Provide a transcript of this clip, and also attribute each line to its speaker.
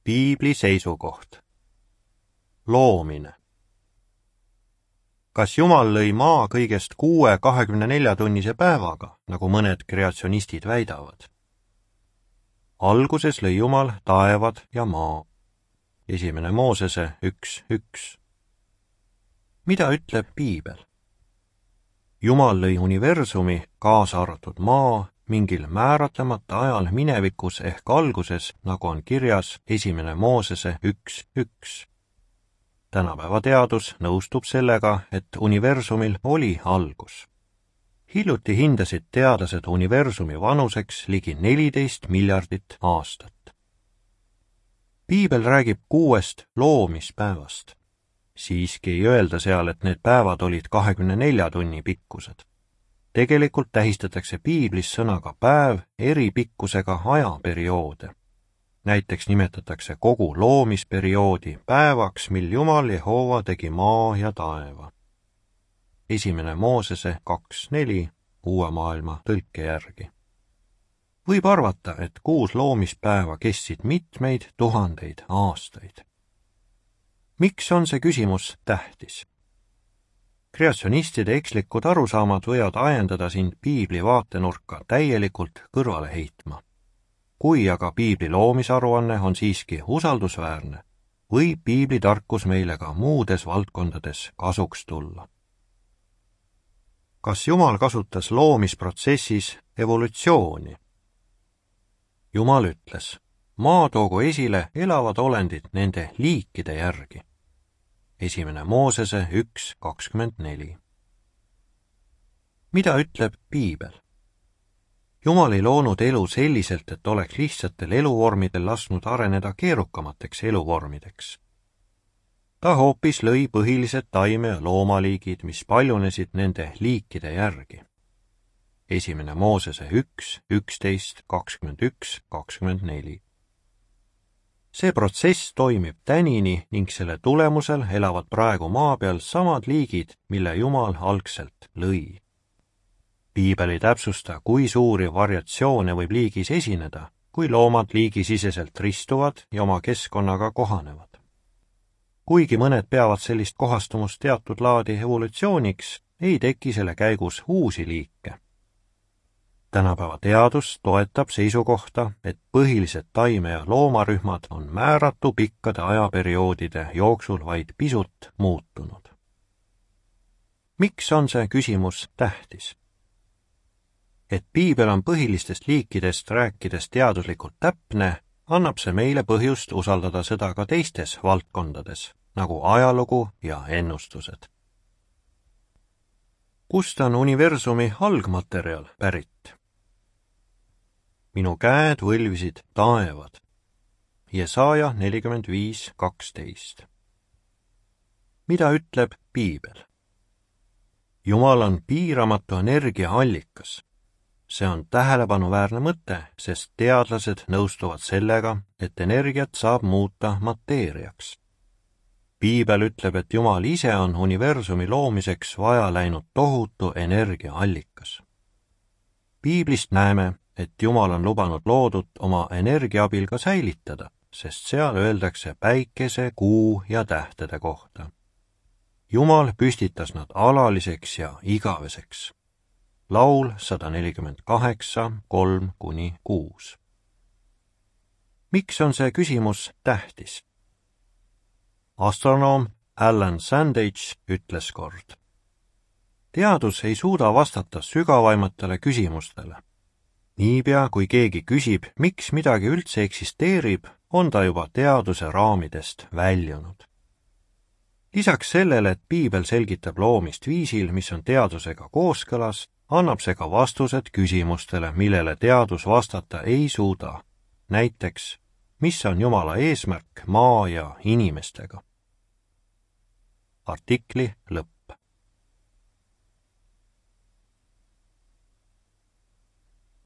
Speaker 1: Piibli seisukoht. Loomine. Kas Jumal lõi maa kõigest 6 24-tunnise päevaga, nagu mõned kreatsionistid väidavad? Alguses lõi Jumal taevad ja maa. 1. Moosese 1:1. Mida ütleb Piibel? Jumal lõi universumi, kaasa arvatud maa, mingil määratlemata ajal minevikus ehk alguses, nagu on kirjas 1. Moosese 1:1. Tänapäeva teadus nõustub sellega, et universumil oli algus. Hiljuti hindasid teadlased universumi vanuseks ligi 14 miljardit aastat. Piibel räägib 6 loomispäevast. Siiski ei öelda seal, et need päevad olid 24 tunni pikkused. Tegelikult tähistatakse Piiblis sõnaga päev eri pikkusega ajaperioode. Näiteks nimetatakse kogu loomisperioodi päevaks, mil Jumal Jehova tegi maa ja taeva. 1. Moosese 2:4 Uue maailma tõlke järgi. Võib arvata, et 6 loomispäeva kestsid mitmeid tuhandeid aastaid. Miks on see küsimus tähtis? Kreatsionistide ekslikud arusaamad võivad ajendada sind Piibli vaatenurka täielikult kõrvale heitma. Kui aga Piibli loomisaruanne on siiski usaldusväärne, võib Piibli tarkus meile ka muudes valdkondades kasuks tulla. Kas Jumal kasutas loomisprotsessis evolutsiooni? Jumal ütles, maa toogu esile elavad olendid nende liikide järgi. 1. Moosese 1:24. Mida ütleb Piibel? Jumal ei loonud elu selliselt, et oleks lihtsatel eluvormidel lasknud areneda keerukamateks eluvormideks. Ta hoopis lõi põhilised taime- ja loomaliigid, mis paljunesid nende liikide järgi. 1. Moosese 1:11, 21, 24. See protsess toimib tänini ning selle tulemusel elavad praegu maa peal samad liigid, mille Jumal algselt lõi. Piibel ei täpsusta, kui suuri variatsioone võib liigis esineda, kui loomad liigisiseselt ristuvad ja oma keskkonnaga kohanevad. Kuigi mõned peavad sellist kohastumust teatud laadi evolutsiooniks, ei teki selle käigus uusi liike. Tänapäeva teadus toetab seisukohta, et põhilised taime- ja loomarühmad on määratu pikkade ajaperioodide jooksul vaid pisut muutunud. Miks on see küsimus tähtis? Et Piibel on põhilistest liikidest rääkides teaduslikult täpne, annab see meile põhjust usaldada seda ka teistes valdkondades, nagu ajalugu ja ennustused. Kust on universumi algmaterjal pärit? Minu käed võlvisid taevad. Jesaja 45:12. Mida ütleb Piibel? Jumal on piiramatu energiaallikas. See on tähelepanuväärne mõte, sest teadlased nõustuvad sellega, et energiat saab muuta mateeriaks. Piibel ütleb, et Jumal ise on universumi loomiseks vaja läinud tohutu energiaallikas. Piiblist näeme, et Jumal on lubanud loodut oma energia abil ka säilitada, sest seal öeldakse päikese, kuu ja tähtede kohta. Jumal püstitas nad alaliseks ja igaveseks. Laul 148, 3-6. Miks on see küsimus tähtis? Astronoom Alan Sandage ütles kord. Teadus ei suuda vastata sügavaimatele küsimustele. Niipea, kui keegi küsib, miks midagi üldse eksisteerib, on ta juba teaduse raamidest väljunud. Lisaks sellele, et Piibel selgitab loomist viisil, mis on teadusega kooskõlas, annab see ka vastused küsimustele, millele teadus vastata ei suuda. Näiteks, mis on Jumala eesmärk maa ja inimestega? Artikli lõpp.